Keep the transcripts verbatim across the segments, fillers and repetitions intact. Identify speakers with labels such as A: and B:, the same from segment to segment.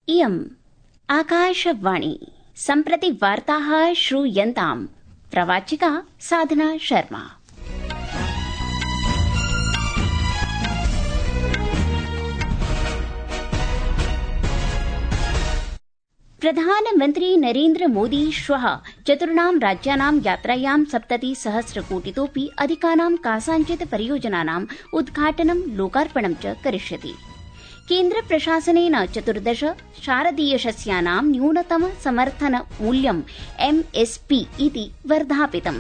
A: इयम् आकाशवाणी सम्प्रति वार्ताः श्रूयन्ताम् प्रवाचिका साधना शर्मा। प्रधानमन्त्री नरेन्द्र मोदी श्वः चतुर्णां राज्यानां यात्रायां सप्ततिसहस्रकोटितोऽपि अधिकानां कासाञ्चित् परियोजनानाम् उद्घाटनं लोकार्पणं च करिष्यति। केन्द्र प्रशासनेन चतुर्दश शारदीयशस्यानां न्यूनतम समर्थन मूल्यं एम् एस् पी इति वर्धापितम्।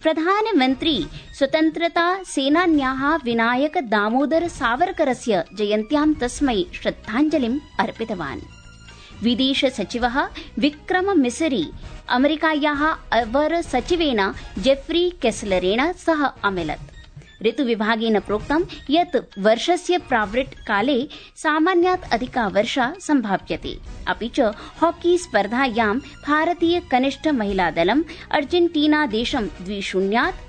A: प्रधानमन्त्री स्वतन्त्रता सेनान्याः विनायक दामोदर सावरकरस्य जयन्त्यां तस्मै श्रद्धाञ्जलिम् अर्पितवान्। विदेश सचिवः विक्रम मिसरी अमेरिकायाः अवर सचिवेन जेफ्री केस्लरेण सह अमिलत्। ऋतुविभागेन प्रोक्तं यत् वर्षस्य प्रावृट् काले सामान्यात् अधिका वर्षा सम्भाव्यते। अपि च हॉकी स्पर्धायां भारतीय कनिष्ठ महिलादलम् अर्जेन्टीना देशं द्वि शून्यात्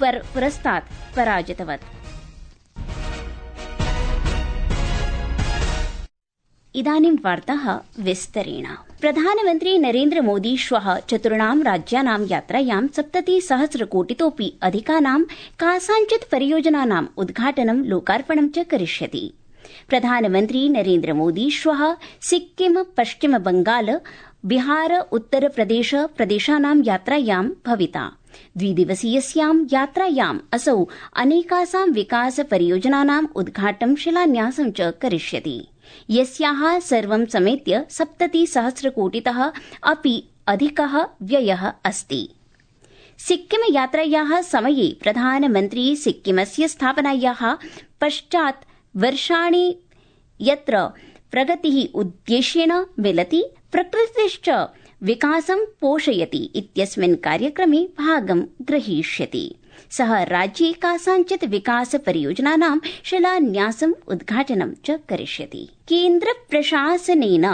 A: पुरस्तात् पराजितवत्। इदानीं वार्ताः विस्तरेण। प्रधानमन्त्री नरेन्द्र मोदी श्वः चतुर्णां राज्यानां यात्रायां सप्ततिसहस्रकोटितोऽपि अधिकानां कासाञ्चित् परियोजनानाम् उद्घाटनं लोकार्पणं च करिष्यति। प्रधानमन्त्री नरेन्द्र मोदी श्वः सिक्किम, पश्चिम बंगाल, बिहार, उत्तरप्रदेश प्रदेशानां यात्रायां भविता। द्विदिवसीयस्यां यात्रायाम् असौ अनेकासां विकास परियोजनानाम् उद्घाटनं शिलान्यासं च करिष्यति, यस्याः सर्वं समेत्य सप्ततिसहस्रकोटितः अपि अधिकः व्ययः अस्ति। सिक्किम यात्रायाः समये प्रधानमन्त्री सिक्किमस्य स्थापनायाः पश्चात् वर्षाणि यत्र प्रगतिः उद्देश्येन मिलति, प्रकृतिश्च विकासं पोषयति इत्यस्मिन् कार्यक्रमे भागं ग्रहीष्यति। सः राज्ये कासाञ्चित् विकास परियोजनानां शिलान्यासम् उद्घाटनं च करिष्यति। केन्द्र प्रशासनेन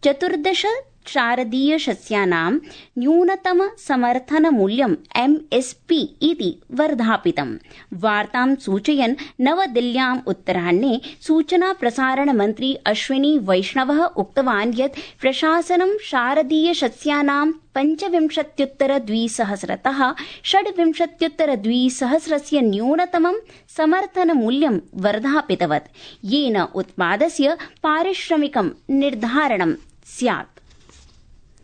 A: चतुर्दश शारदीयशस्यानां न्यूनतम समर्थन मूल्यं एम् एस् पी इति वर्धापितम्। वार्तां सूचयन् नवदिल्ल्याम् उत्तराह्णे सूचना प्रसारण मन्त्री अश्विनी वैष्णवः उक्तवान् यत् प्रशासनं शारदीयशस्यानां पञ्चविंशत्युत्तर द्विसहस्रतः षड्विंशत्युत्तर द्विसहस्रस्य न्यूनतमं समर्थन मूल्यं वर्धापितवत्, येन उत्पादस्य पारिश्रमिकं निर्धारणं स्यात्।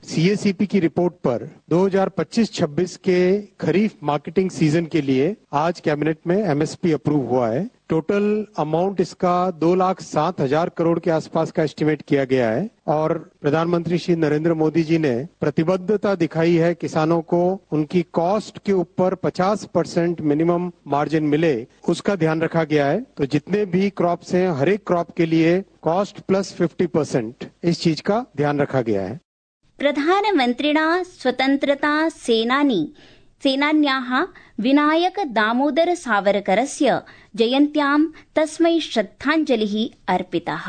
B: सी ए सी पी की रिपोर्ट पर दो हज़ार पच्चीस छब्बीस के खरीफ मार्केटिंग सीजन के लिए आज कैबिनेट में एम एस पी अप्रूव हुआ है। टोटल अमाउंट इसका दो लाख सात हजार करोड़ के आसपास का एस्टिमेट किया गया है और प्रधानमंत्री श्री नरेंद्र मोदी जी ने प्रतिबद्धता दिखाई है किसानों को उनकी कॉस्ट के ऊपर पचास परसेंट मिनिमम मार्जिन मिले, उसका ध्यान रखा गया है। तो जितने भी क्रॉप्स हैं, हर एक क्रॉप के लिए कॉस्ट प्लस फिफ्टी परसेंट इस चीज का ध्यान रखा गया है।
A: प्रधानमन्त्रिणा स्वतन्त्रता सेनानी सेनान्याः विनायक दामोदर सावरकरस्य जयन्त्यां तस्मै श्रद्धाञ्जलिः अर्पितः।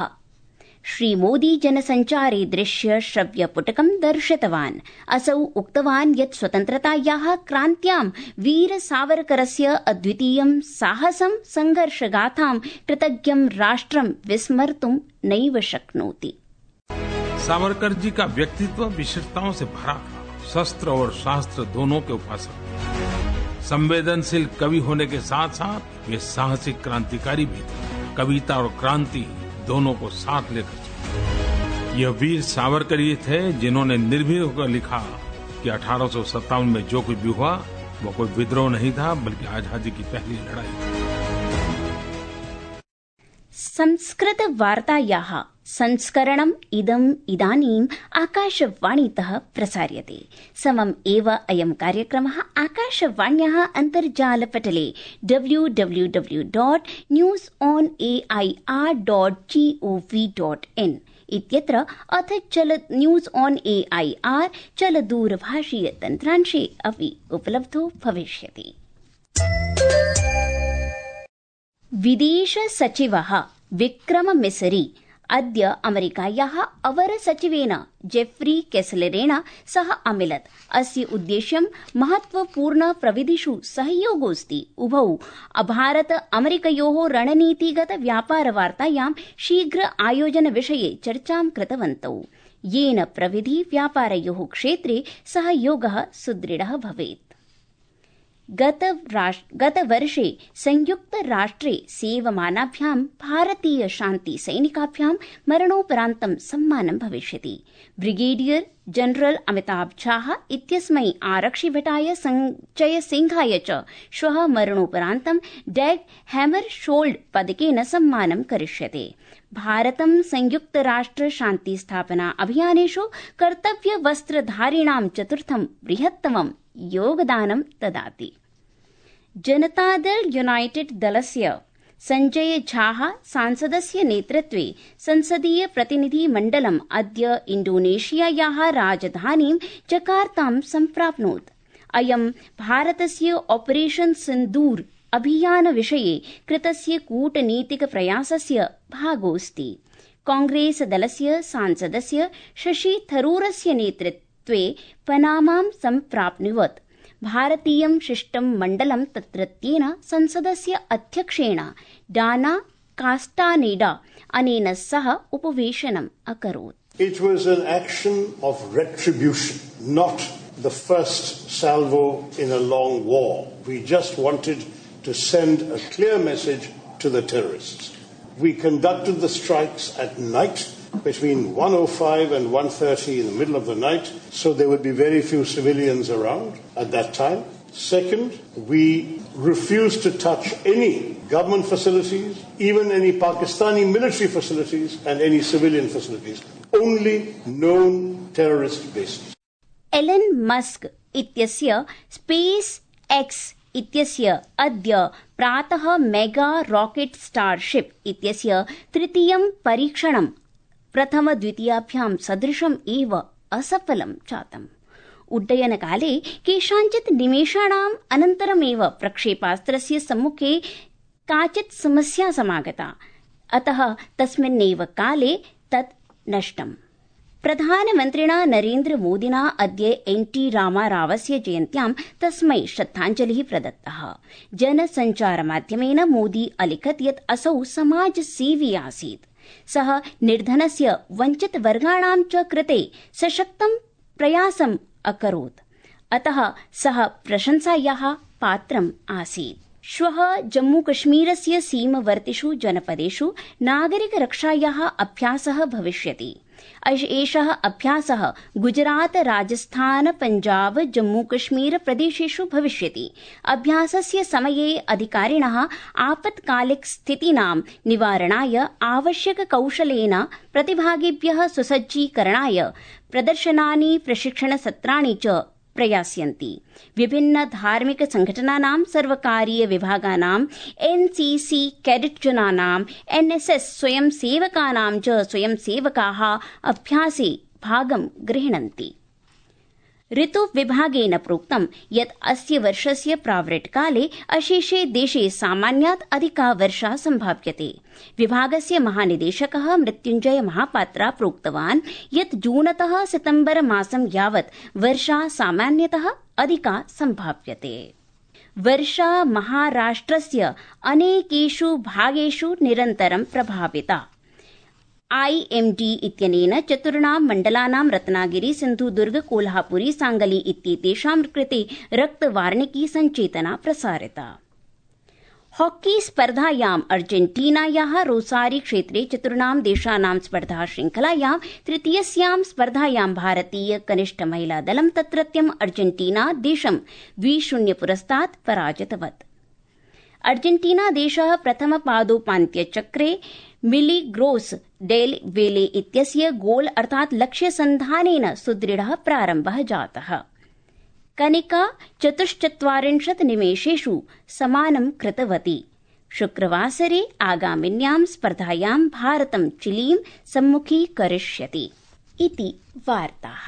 A: श्रीमोदी जनसञ्चारे दृश्य श्रव्यपुटकं दर्शितवान्। असौ उक्तवान् यत् स्वतन्त्रतायाः क्रान्त्यां वीर सावरकरस्य अद्वितीयं साहसं संघर्षगाथां कृतज्ञं राष्ट्रं विस्मर्तुं नैव शक्नोति।
C: सावरकर जी का व्यक्तित्व विशेषताओं से भरा था। शस्त्र और शास्त्र दोनों के उपासक, संवेदनशील कवि होने के साथ साथ वे साहसिक क्रांतिकारी भी थे। कविता और क्रांति दोनों को साथ लेकर चले। यह वीर सावरकर ही थे जिन्होंने निर्भीक होकर लिखा कि अठारह सौ सत्तावन में जो कुछ भी हुआ वो कोई विद्रोह नहीं था, बल्कि आजादी की पहली लड़ाई थी।
A: संस्कृत वार्तायाः संस्करणम् इदम् इदानीम् आकाशवाणीतः प्रसार्यते। समम् एव अयं कार्यक्रमः आकाशवाण्याः अन्तर्जालपटले W W W dot news on A I R dot G O V dot in इत्यत्र अथ चल news on A I R चलदूरभाषीय तन्त्रांशे अपि उपलब्धो भविष्यति। विदेश सचिवः विक्रम मिसरी अद्य अमेरिकायाः अवरसचिवेन जेफ्री केसलरेण सह अमिलत्। अस्य उद्देश्यं महत्वपूर्ण प्रविधिषु सहयोगोऽस्ति। उभौ भारत अमेरिकयोः रणनीतिगत व्यापारवार्तायां शीघ्र आयोजन विषये चर्चां कृतवन्तौ, येन प्रविधि व्यापारयोः क्षेत्रे सहयोगः सुदृढः भवेत्। गतवर्षे संयुक्तराष्ट्रे सेवमानाभ्यां भारतीय शान्ति सैनिकाभ्यां मरणोपरान्तं सम्मानं भविष्यति। ब्रिगेडियर जनरल अमिताभ झाः इत्यस्मै आरक्षिभटाय संजय सिंहाय च श्वः मरणोपरान्तं डैग हैमरशोल्ड पदकेन सम्मानं करिष्यते। भारतं संयुक्तराष्ट्र शान्ति स्थापना अभियानेषु कर्तव्यवस्त्रधारिणां चतुर्थं बृहत्तमं योगदानं ददाति। जनतादल यूनाइटेड दलस्य संजय झाः सांसदस्य नेतृत्वे संसदीय प्रतिनिधिमण्डलम् अद्य इण्डोनेशियायाः राजधानीं जकार्तां सम्प्राप्नोत्। अयं भारतस्य ऑपरेशन सिन्दूर अभियान विषये कृतस्य कूटनीतिक प्रयासस्य भागोऽस्ति। कांग्रेस दलस्य सांसदस्य शशि थरूरस्य नेतृत्वे पनामां सम्प्राप्नुवत्। भारतीयं शिष्टमण्डलं तत्रत्येन संसदस्य अध्यक्षेण डाना कास्टानेडा अनेन सह उपवेशनम् अकरोत्।
D: It was an action of retribution, not the first salvo in a long war. We just wanted to send a clear message to the terrorists. We conducted the strikes at night between one oh five and one thirty in the middle of the night, so there would be very few civilians around at that time. Second, we refused to touch any government facilities, even any Pakistani military facilities and any civilian facilities, only known terrorist bases.
A: Elon Musk इत्यस्य SpaceX इत्यस्य अद्य प्रातः mega rocket starship इत्यस्य तृतीयं परीक्षणं प्रथमद्वितीयाभ्यां सदृशम् एव असफलं जातम्। उड्डयनकाले केषाञ्चित् निमेषाणाम् अनन्तरमेव प्रक्षेपास्त्रस्य सम्मुखे काचित् समस्या समागता, अतः तस्मिन्नेव काले तत् नष्टम्। प्रधानमन्त्रिणा नरेन्द्र मोदिना अद्य एन टी रामारावस्य जयन्त्यां तस्मै श्रद्धाञ्जलिः प्रदत्तः। जनसञ्चारमाध्यमेन मोदी अलिखत् यत् असौ समाजसेवी आसीत्। सः निर्धनस्य वञ्चितवर्गाणां च कृते सशक्तं प्रयासम् अकरोत्, अतः सः प्रशंसायाः पात्रम् आसीत्। श्वः जम्मूकश्मीरस्य सीमवर्तिषु जनपदेषु नागरिकरक्षायाः अभ्यासः भविष्यति। एषः अभ्यासः गुजरात, राजस्थान, पञ्जाब, जम्मूकश्मीर प्रदेशेषु भविष्यति। अभ्यासस्य समये अधिकारिणः आपत्कालिक स्थितीनां निवारणाय आवश्यककौशलेन प्रतिभागिभ्यः सुसज्जीकरणाय प्रदर्शनानि, प्रशिक्षणसत्राणि च प्रयास्यन्ति। विभिन्न धार्मिक संघटनानां, सर्वकारीय विभागानां, एनसीसी कैडेट जनानां, एनएसएस स्वयंसेवकानां च स्वयंसेवकाः अभ्यासे भागं गृह्णन्ति। ऋतुविभागेन प्रोक्तं यत् अस्य वर्षस्य प्रावृट्काले अशेषे देशे सामान्यात् अधिका वर्षा सम्भाव्यते। विभागस्य महानिदेशकः मृत्युञ्जय महापात्रा प्रोक्तवान् यत् जूनतः सितम्बर मासं यावत् वर्षा सामान्यतः अधिका सम्भाव्यते। वर्षा महाराष्ट्रस्य अनेकेषु भागेषु निरन्तरं प्रभाविता। आईएमडी इत्यनेन चतुर्णां मण्डलानां रत्नागिरी, सिन्धुदुर्ग, कोल्हापुरी, सांगली इत्येतेषां कृते रक्तवार्णिकी सञ्चेतना प्रसारिता। हॉकी स्पर्धायाम् अर्जेन्टीनायाः रोसारी क्षेत्रे चतुर्णां देशानां स्पर्धा श्रृंखलायां तृतीयस्यां स्पर्धायां भारतीय कनिष्ठ महिला दलं तत्रत्यम् अर्जेन्टीना देशं द्वि शून्य पुरस्तात् पराजितवत्। अर्जेन्टीना देशः प्रथमपादोपान्त्यचक्रे मिलिग्रोस डेल वेले इत्यस्य गोल अर्थात् लक्ष्यसन्धानेन सुदृढः प्रारम्भः जातः। कनिका चतुश्चत्वारिंशत् निमेषेषु समानं कृतवती। शुक्रवासरे आगामिन्यां स्पर्धायां भारतं चिलीं सम्मुखीकरिष्यति इति वार्ताः।